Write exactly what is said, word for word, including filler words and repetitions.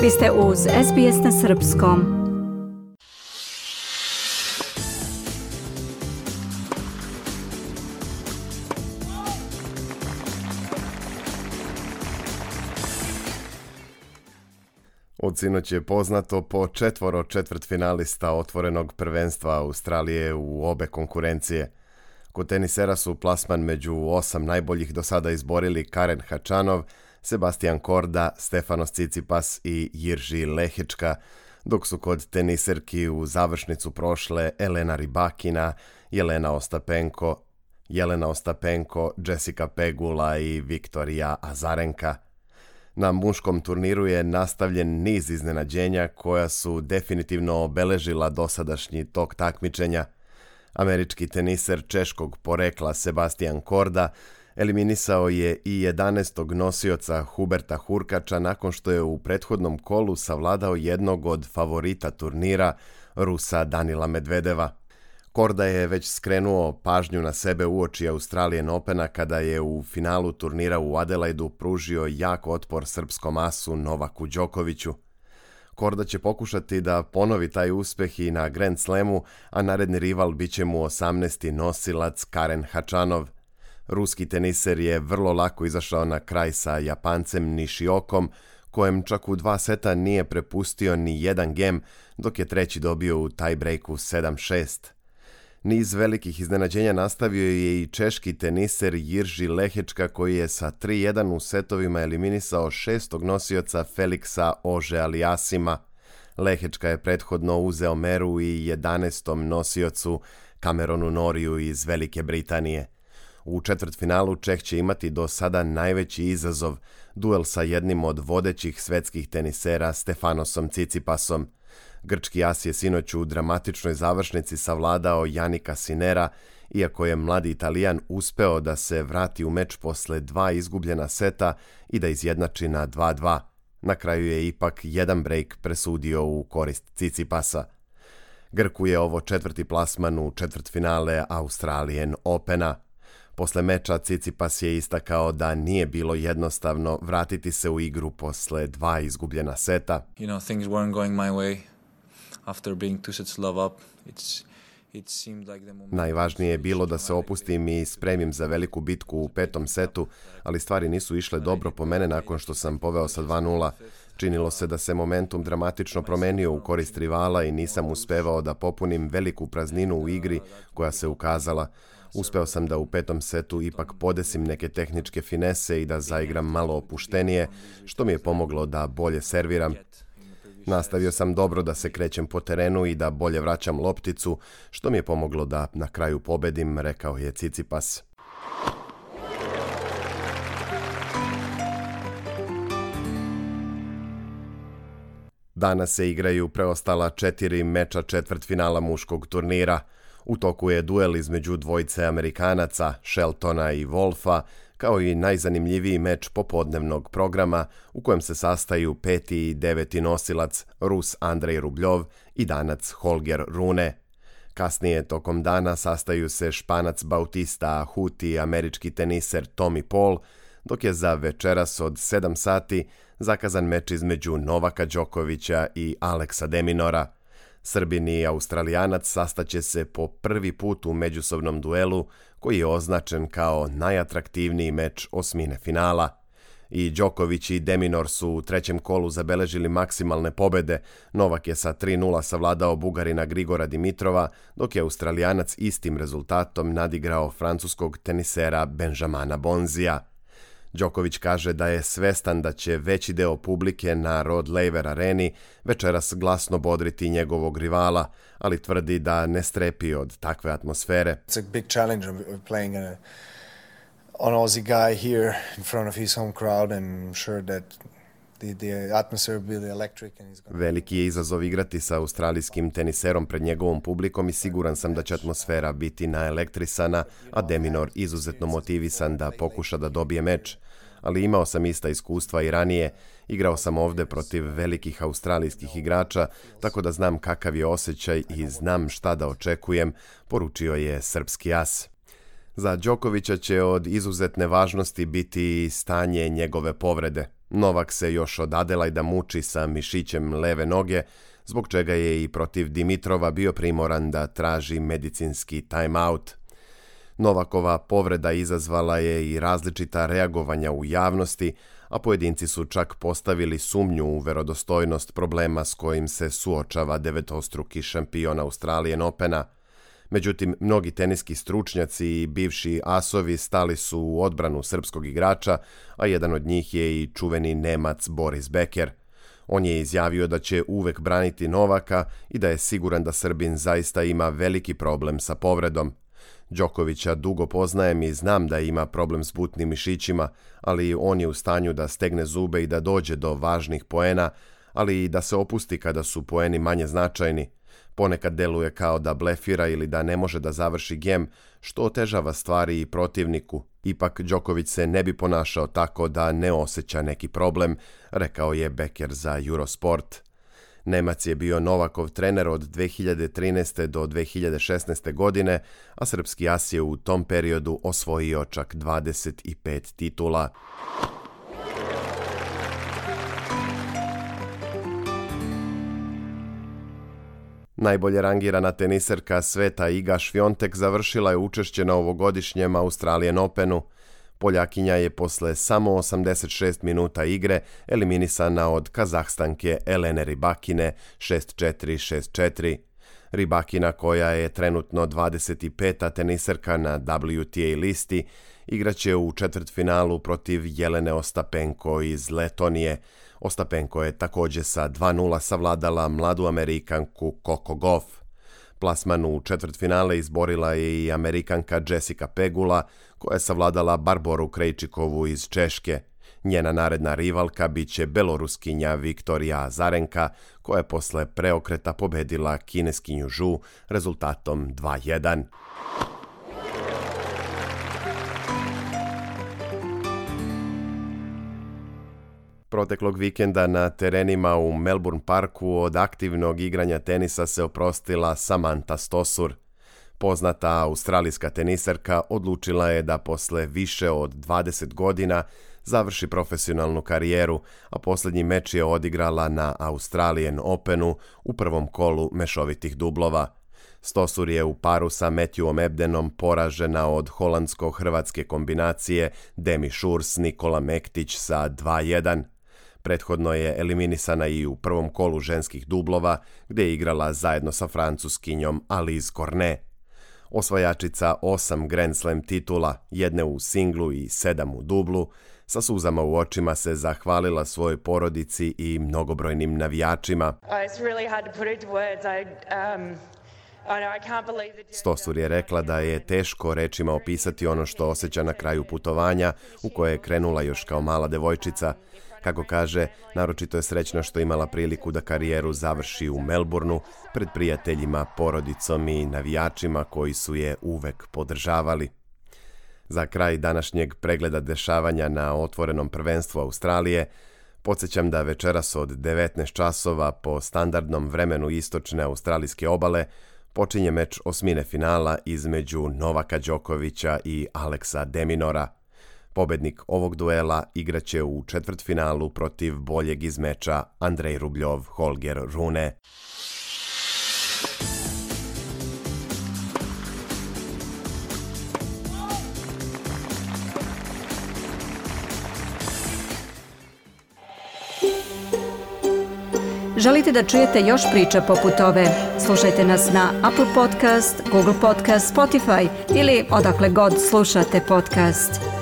Vi ste uz S B S na srpskom. Od sinoć je poznato po četvoro četvrtfinalista otvorenog prvenstva Australije u obe konkurencije. Kod tenisera su plasman među osam najboljih do sada izborili Karen Khachanov, Sebastian Korda, Stefanos Tsitsipas i Jirži Lehečka, dok su kod teniserki u završnicu prošle Elena Rybakina, Jelena Ostapenko, Jelena Ostapenko, Jessica Pegula i Viktorija Azarenka. Na muškom turniru je nastavljen niz iznenađenja koja su definitivno obeležila dosadašnji tok takmičenja. Američki teniser češkog porekla Sebastian Korda eliminisao je i jedanaestog nosioca Huberta Hurkača nakon što je u prethodnom kolu savladao jednog od favorita turnira, Rusa Danila Medvedeva. Korda je već skrenuo pažnju na sebe uoči Australian Opena kada je u finalu turnira u Adelaidu pružio jak otpor srpskom asu Novaku Đokoviću. Korda će pokušati da ponovi taj uspeh i na Grand Slamu, a naredni rival bit će mu osamnaesti nosilac Karen Khachanov. Ruski teniser je vrlo lako izašao na kraj sa Japancem Nishiokom, kojem čak u dva seta nije prepustio ni jedan gem, dok je treći dobio u tiebreaku sedam šest. Niz velikih iznenađenja nastavio je i češki teniser Jirži Lehečka koji je sa tri jedan u setovima eliminisao šestog nosioca Feliksa Auger-Aliassima. Lehečka je prethodno uzeo meru i jedanaestom nosiocu Cameronu Norriju iz Velike Britanije. U četvrtfinalu Čeh će imati do sada najveći izazov, duel sa jednim od vodećih svetskih tenisera Stefanosom Tsitsipasom. Grčki as je sinoć u dramatičnoj završnici savladao Janika Sinera, iako je mladi Italijan uspeo da se vrati u meč posle dva izgubljena seta i da izjednači na dva dva. Na kraju je ipak jedan break presudio u korist Tsitsipasa. Grku je ovo četvrti plasman u četvrtfinale Australian Opena. Posle meča Tsitsipas je istakao da nije bilo jednostavno vratiti se u igru posle dva izgubljena seta. You know, things weren't going my way. After being two sets love up, it's it seemed like the moment. Najvažnije je bilo da se opustim i spremim za veliku bitku u petom setu, ali stvari nisu išle dobro po mene nakon što sam poveo sa dva nula. Činilo se da se momentum dramatično promenio u korist rivala i nisam uspevao da popunim veliku prazninu u igri koja se ukazala. Uspeo sam da u petom setu ipak podesim neke tehničke finese i da zaigram malo opuštenije, što mi je pomoglo da bolje serviram. Nastavio sam dobro da se krećem po terenu i da bolje vraćam lopticu, što mi je pomoglo da na kraju pobedim, rekao je Tsitsipas. Danas se igraju preostala četiri meča četvrtfinala muškog turnira. U toku je duel između dvojice Amerikanaca, Sheltona i Wolfa, kao i najzanimljiviji meč popodnevnog programa u kojem se sastaju peti i deveti nosilac Rus Andrej Rubljov i Danac Holger Rune. Kasnije tokom dana sastaju se Španac Bautista Agut i američki teniser Tommy Paul, dok je za večeras od sedam sati zakazan meč između Novaka Đokovića i Aleksa de Minaura. Srbin i Australijanac sastaće se po prvi put u međusobnom duelu koji je označen kao najatraktivniji meč osmine finala. I Đoković i de Minaur su u trećem kolu zabeležili maksimalne pobede. Novak je sa tri nula savladao Bugarina Grigora Dimitrova, dok je Australijanac istim rezultatom nadigrao francuskog tenisera Benjamina Bonzija. Đoković kaže da je svestan da će veći deo publike na Rod Laver areni večeras glasno bodriti njegovog rivala, ali tvrdi da ne strepi od takve atmosfere. It's a big challenge of playing a, an Aussie guy here in front of his home crowd and I'm sure that the, the atmosphere will be electric and he's gonna... Veliki je izazov igrati sa australijskim teniserom pred njegovom publikom i siguran sam da će atmosfera biti naelektrisana, a de Minaur izuzetno motivisan da pokuša da dobije meč. Ali imao sam ista iskustva i ranije, igrao sam ovde protiv velikih australijskih igrača, tako da znam kakav je osjećaj i znam šta da očekujem, poručio je srpski as. Za Đokovića će od izuzetne važnosti biti stanje njegove povrede. Novak se još od Adelajda muči sa mišićem leve noge, zbog čega je i protiv Dimitrova bio primoran da traži medicinski time-out. Novakova povreda izazvala je i različita reagovanja u javnosti, a pojedinci su čak postavili sumnju u verodostojnost problema s kojim se suočava devetostruki šampion Australian Opena. Međutim, mnogi teniski stručnjaci i bivši asovi stali su u odbranu srpskog igrača, a jedan od njih je i čuveni Nemac Boris Becker. On je izjavio da će uvek braniti Novaka i da je siguran da Srbin zaista ima veliki problem sa povredom. Đokovića dugo poznajem i znam da ima problem s butnim mišićima, ali on je u stanju da stegne zube i da dođe do važnih poena, ali i da se opusti kada su poeni manje značajni. Ponekad deluje kao da blefira ili da ne može da završi gem, što otežava stvari i protivniku. Ipak Đoković se ne bi ponašao tako da ne osjeća neki problem, rekao je Becker za Eurosport. Nemac je bio Novakov trener od dve hiljade trinaeste. do dve hiljade šesnaeste. godine, a srpski as je u tom periodu osvojio čak dvadeset pet titula. Najbolje rangirana teniserka sveta Iga Świątek završila je učešće na ovogodišnjem Australian Openu. Poljakinja je posle samo osamdeset šest minuta igre eliminisana od Kazahstanke Elene Rybakine šest četiri šest četiri. Rybakina, koja je trenutno dvadeset peta teniserka na W T A listi, igraće u četvrtfinalu protiv Jelene Ostapenko iz Letonije. Ostapenko je također sa dva nula savladala mladu Amerikanku Coco Gauff. Plasman u četvrtfinale izborila je i Amerikanka Jessica Pegula, koja je savladala Barboru Krejčikovu iz Češke. Njena naredna rivalka biće Beloruskinja Viktorija Azarenka, koja je posle preokreta pobedila kineskinju Zhu rezultatom dva jedan. Proteklog vikenda na terenima u Melbourne Parku od aktivnog igranja tenisa se oprostila Samantha Stosur. Poznata australijska teniserka odlučila je da posle više od dvadeset godina završi profesionalnu karijeru, a posljednji meč je odigrala na Australian Openu u prvom kolu mešovitih dublova. Stosur je u paru sa Matthewom Ebdenom poražena od holandsko-hrvatske kombinacije Demi Šurs Nikola Mektić sa dva jedan. Prethodno je eliminisana i u prvom kolu ženskih dublova, gdje je igrala zajedno sa francuskinjom Alizé Cornet. Osvajačica osam Grand Slam titula, jedne u singlu i sedam u dublu, sa suzama u očima se zahvalila svojoj porodici i mnogobrojnim navijačima. Stosur je rekla da je teško rečima opisati ono što osjeća na kraju putovanja u koje je krenula još kao mala devojčica. Kako kaže, naročito je srećna što imala priliku da karijeru završi u Melbourneu pred prijateljima, porodicom i navijačima koji su je uvek podržavali. Za kraj današnjeg pregleda dešavanja na otvorenom prvenstvu Australije, podsjećam da večeras od devetnaest časova po standardnom vremenu istočne australijske obale počinje meč osmine finala između Novaka Đokovića i Aleksa de Minaura. Pobednik ovog duela igraće u četvrtfinalu protiv boljeg iz meča Andrej Rubljov Holger Rune. Želite da čujete još priča poput ove? Slušajte nas na Apple Podcast, Google Podcast, Spotify ili odakle god slušate podcast.